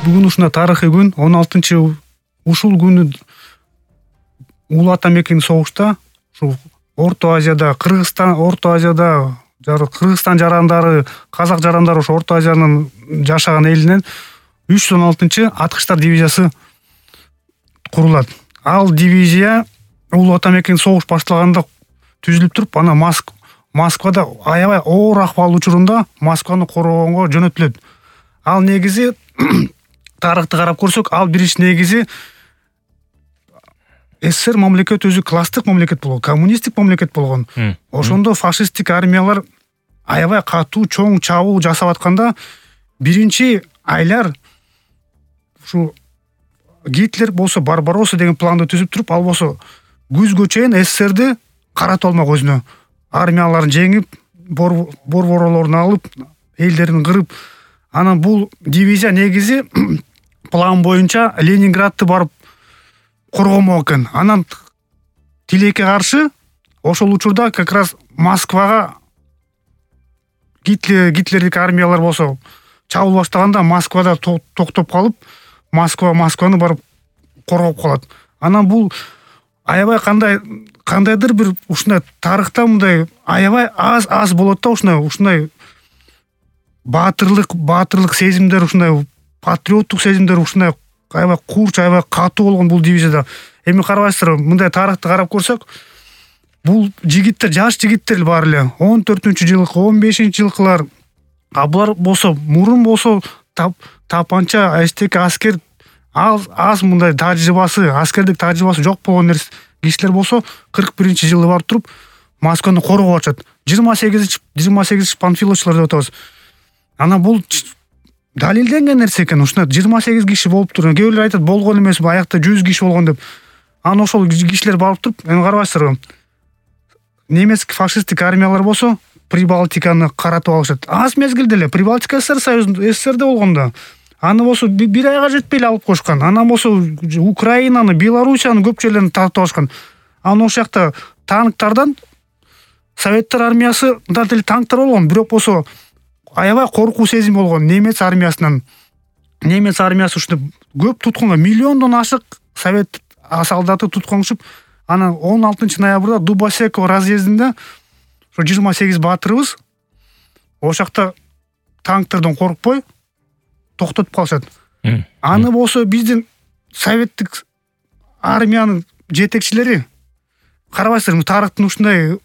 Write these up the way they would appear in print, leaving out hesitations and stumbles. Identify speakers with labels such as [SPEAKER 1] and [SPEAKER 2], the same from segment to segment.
[SPEAKER 1] Бүгүн ушундай тарыхый күн 16 ушул күнү Улуу ата мекен согушта ушу Орто Азияда, Кыргызстан жарандары, казак жарандары ошо Орто Азиянын жашаган элинен 316 аткычтар дивизиясы курулат. Ал дивизия Улуу ата мекен согуш башталганда түзүлүп туруп, анан Москвада аябай оор акыбал учурунда Москваны коргоонго жөнөтүлөт. Ал негизи тарыхты карап көрсөк, ал биринчи негизи СССР мамлекет өзү класстык мамлекет болгон, коммунисттик мамлекет болгон. Ошондо фашисттик армиялар аябай катуу чоң чабуул жасап атканда биринчи айлар ушу Гитлер болсо Барбаросса деген планды түзүп туруп, ал болсо күзгө чейин СССРди каратып алмак өзүнө. Армияларын жеңип, борборлорун алып, элдерин кырып, анан бул дивизия негизи план боюнча Ленинградты барып коргомок экен. Анан тилекке каршы ошол учурда как раз Москвага Гитлердик армиялар болсо чабуул баштаганда Москвада токтоп калып, Москваны барып коргоп калат. Анан бул аябай кандайдыр бир ушундай тарыхта мындай аябай аз болот да, ушундай баатырлык сезимдер, ушундай патриоттук сезимдер ушундай аябай курч, аябай катуу болгон бул дивизияда. Эми карабайсыздарбы, мындай тарыхты карап көрсөк, бул жигиттер, жаш жигиттер баары эле 14-жылкы, 15-жылкылар. А булар болсо мурун болсо тапанча, эстеки аскер аз мындай аскердик тажрыйбасы жок болгон кишилер болсо 41-жылы барып туруп Москваны коргоп атышат. 28 панфиловчулар деп атабыз. Анан бул далилденген нерсе экен. Ушундай 28 киши болуп туруп, кээ бирлер айтат болгон эмес, аякта 100 киши болгон деп. Анан ошол кишилер барып туруп, эми карабайсыздарбы, немецк фашисттик армиялар болсо Прибалтиканы каратып алышат. Аз мезгилде эле Прибалтика СССРде болгондо. Аны болсо бир айга жетпей эле алып коюшкан. Анан болсо Украинаны, Белоруссияны көп жерлерин тартып алышкан. Анан ошол жакта танктардан Советтер армиясы деле танктар болгон, бирок болсо аябай коркуу сезим болгон немец армиясынан. Немец армиясы ушундай көп туткунга, миллиондон ашык совет солдаты туткунушуп, анан 16 ноябрда Дубосеково разъездинде ошо 28 баатырыбыз ошол жакта танктерден коркпой токтотуп калышат. Аны болсо биздин советтик армиянын жетекчилери карабайсыздар, тарыхтын ушундай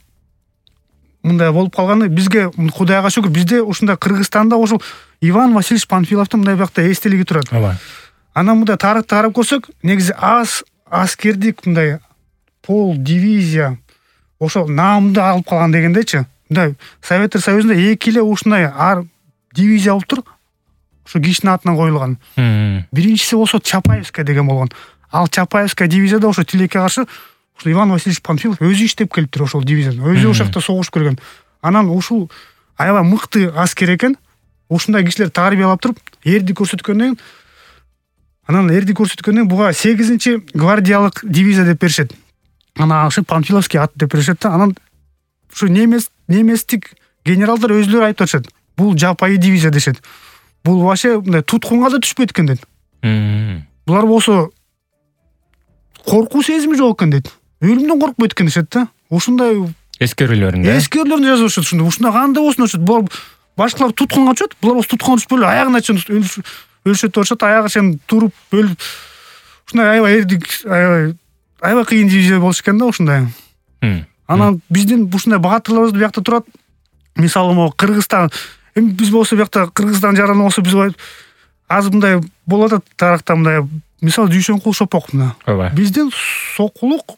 [SPEAKER 1] мындай болуп калганы бизге, Кудайга шүгүр, бизде ушундай Кыргызстанда ошол Иван Васильевич Панфиловдун мындай биякта эстелиги турат. Анан мындай тарыхты карап көрсөк, негизи аз аскердик мындай пол дивизия ошол наамды алып калган дегендечи. Мындай Советтер Союзунда 2 эле ушундай дивизия болуп туруп, ошо кишинин атынан коюлган. Биринчиси болсо Чапаевская деген болгон. Ал Чапаевская дивизияда ошо тилекке каршы Иван Васильевич Панфилов өзү иштеп келиптир ошол дивизияда. Өзү ошол жакта согуш көргөн. Анан ушул аябай мыкты аскер экен. Ушундай кишилер тарбиялап туруп, эрди көрсөткөндөн буга 8-чи гвардиялык дивизия деп беришет. Анан ошо Панфиловский ат деп беришет да. Анан ушу немецтик генералдар өзүлөрү айтып атышат. Бул жапайы дивизия дешет. Бул вообще мындай туткунга да түшпөйт экен дейт. Булар болсо коркуу сезими жок экен дейт. Өлүмдөн коркпойт экен дешет да. Ушундай эскерилерин жазып атышат. Ушундай кандай болсун атышат. Булар башкалар туткунга түшөт, булар болсо туткунга түшпөй эле аягына чейин өлүшөт деп атышат. Аягы чейин туруп өлүп. Ушундай аябай кыйын дивизия болуш экен да ушундай. Анан биздин ушундай баатырларыбыз биякта турат. Мисалы могу Кыргызстан, эми биз болсо биякта Кыргызстан жараны болсо биз аз мындай болот да тарыхта мындай. Мисалы Дүйшөнкул Шопок мына. Биздин Сокулук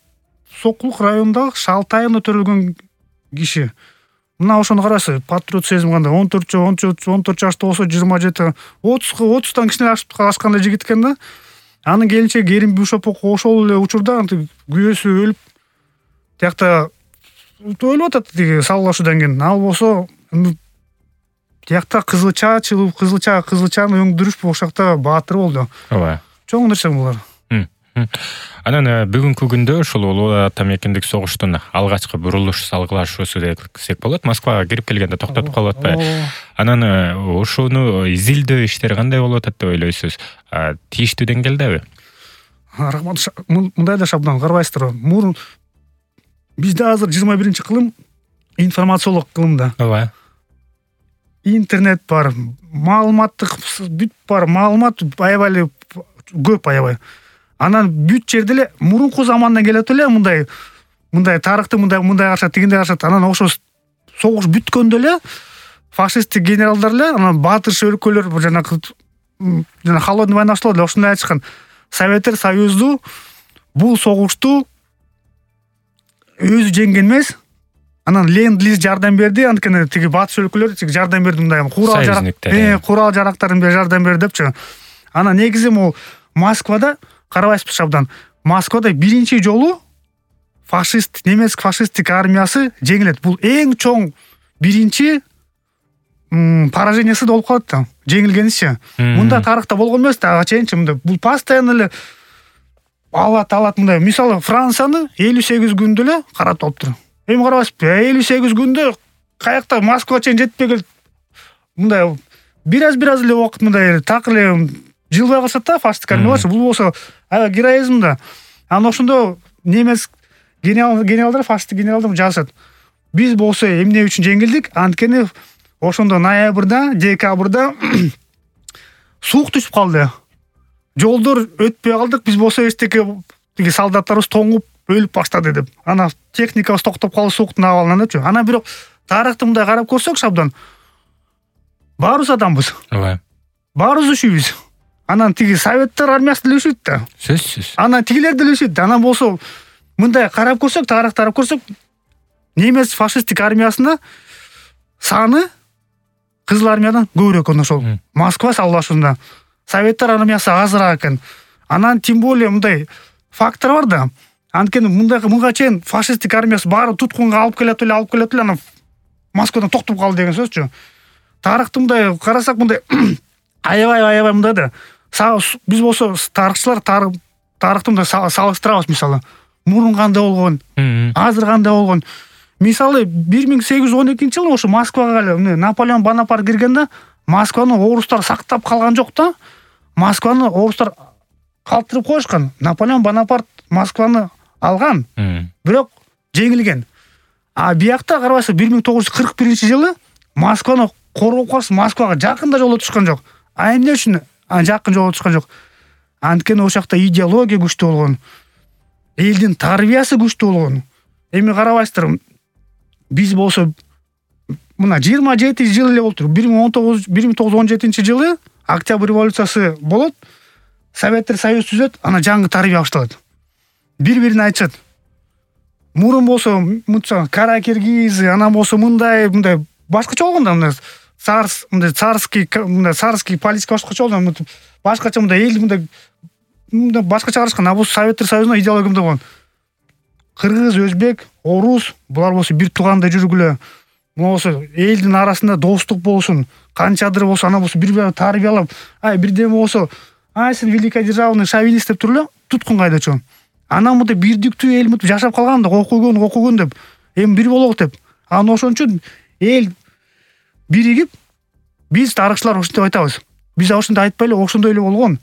[SPEAKER 1] районундагы Шалтайына төрөлгөн киши. Мына ошону карасыз, патриот сезим кандай 14 жашта болсо 27, 30тан кичине ашкандай жигит экен да. Анын келинчеги Керимбүй Шопок ошол эле учурда күйөөсү өлүп, тиякта өлүп атат тиги салгылашуудан кийин. Ал болсо тиякта кызылчаны өңдүрүш ошол жакта баатыр болду. Чоң нерсе булар.
[SPEAKER 2] Анан бүгүнкү күндө ушул Улуу Ата Мекендик согуштун алгачкы бурулуш салгылашуусу десек болот. Москвага кирип келгенде токтотуп калып атпайбы? Анан ушуну изилдөө иштери кандай болуп атат деп ойлойсуз? Тийиштүү деңгээлдеби?
[SPEAKER 1] Рахмат. Мындай да шабдан карабайсыздар. Мурун бизде азыр 21-кылым информациялык кылымда.
[SPEAKER 2] Ооба.
[SPEAKER 1] Интернет бар, маалыматтык бүт бар, маалымат аябай көп аябай. Анан бүт жерде эле мурунку замандан келет эле мындай тарыхты мындай карашат, тигиндей карашат. Анан ошо согуш бүткөндө эле фашисттик генералдар эле анан батыш өлкөлөр жана холодный война башталды. Ошондой айтышкан. Советтер Союзу бул согушту өзү жеңген эмес. Анан Ленд-лиз жардам берди, анткени тиги батыш өлкөлөр жардам берди, мындай курал жарактарын жардам берди депчи. Анан негизи могу Москвада карабайсызбы шабдан. Москвада биринчи жолу немецк фашисттик армиясы жеңилет. Бул эң чоң биринчи поражениясы болуп калат да. Жеңилгеничи. Мында тарыхта болгон эмес да, ага чейинчи мында. Бул постоянно эле алат мындай. Мисалы Францияны 58 күндө эле карап алыптыр. Эми карабайсызбы, 58 күндө каякта Москвага чейин жетпей келип мындай бир аз эле убакыт мындай так эле жылбай калышат да фашисттик армиялар. Бул болсо аябай героизм да. Анан ошондо немец генералдар, фашисттик генералдар жазышат. Биз болсо эмне үчүн жеңилдик? Анткени ошондо ноябрда, декабрда суук түшүп калды. Жолдор өтпөй калдык. Биз болсо эчтеке тиги солдаттарыбыз тоңуп өлүп баштады деп. Анан техникабыз токтоп калды сууктун абалынан депчи. Анан бирок тарыхты мындай карап көрсөк шабдан баарыбыз адамбыз.
[SPEAKER 2] Ооба.
[SPEAKER 1] Баарыбыз үшүбүз. Анан тиги советтер армиясы деле үшүт да.
[SPEAKER 2] Сөзсүз.
[SPEAKER 1] Анан тигилер деле үшүт. Анан болсо мындай карап көрсөк, тарыхты карап көрсөк, немец фашисттик армиясына саны кызыл армиядан көбүрөөк экен ошол. Москва салгылашуусунда. Советтер армиясы азыраак экен. Анан тем более мындай фактор бар да. Анткени мынга чейин фашисттик армиясы баары туткунга алып келет эле, анан Москвадан токтоп калды деген сөзчү. Тарыхты мындай карасак мындай аябай мындай да. Биз болсо тарыхчылар тарыхты мындай салыштырабыз мисалы. Мурун кандай болгон, азыр кандай болгон. Мисалы 1812-жылы ошо Москвага эле Наполеон Бонапарт киргенде Москваны орустар сактап калган жок да. Москваны орустар калтырып коюшкан. Наполеон Бонапарт Москваны алган, бирок жеңилген. А биякта карабайсыз 1941-жылы Москваны коргоп калыш Москвага жакында жолго түшкөн жок. А эмне үчүн жакын жолго түшкөн жок? Анткени ошол жакта идеология күчтүү болгон. Элдин тарбиясы күчтүү болгон. Эми карабайсыздар, биз болсо мына 27 жыл эле болду. 1917-жылы Октябрь революциясы болот. Советтер Союз түзөт, анан жаңы тарбия башталат. Бири-бирине айтышат. Мурун болсо мынча кара киргиз, анан болсо мындай башкача болгон да, мындай царский политика башкача болгон. Башкача мындай элди мындай башкача карашкан. А бул Советтер Союзунун идеология мындай болгон. Кыргыз, өзбек, орус булар болсо бир туугандай жүргүлө. Болсо элдин арасында достук болсун. Канчадыр болсо анан болсо бири-бири тарбиялап, бирдеме болсо, сен великая державный шовинист деп туруп эле туткун кайдачу. Анан мындай бирдиктүү эл жашап калган да, окугон деп, эми бир болок деп. Анан ошон үчүн эл биригип, биз тарыхчылар ошентип айтабыз. Биз ошондой айтпай эле, ошондой эле болгон.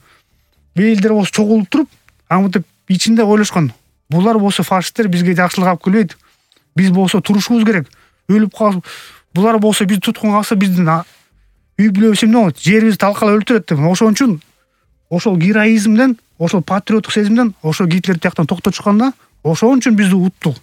[SPEAKER 1] Элдер болсо чогулуп туруп, мынтип ичинде ойлошкон. Булар болсо фашисттер бизге жакшылык алып келбейт. Биз болсо турушубуз керек. Өлүп калып, булар болсо биз туткун калса биздин үй бүлөбүз эмне болот? Жерибизди талкалап өлтүрөт деп. Ошон үчүн ошол героизмден, ошол патриоттук сезимден ошол Гитлер тияктан токтотушкан да, ошон үчүн бизди уттук.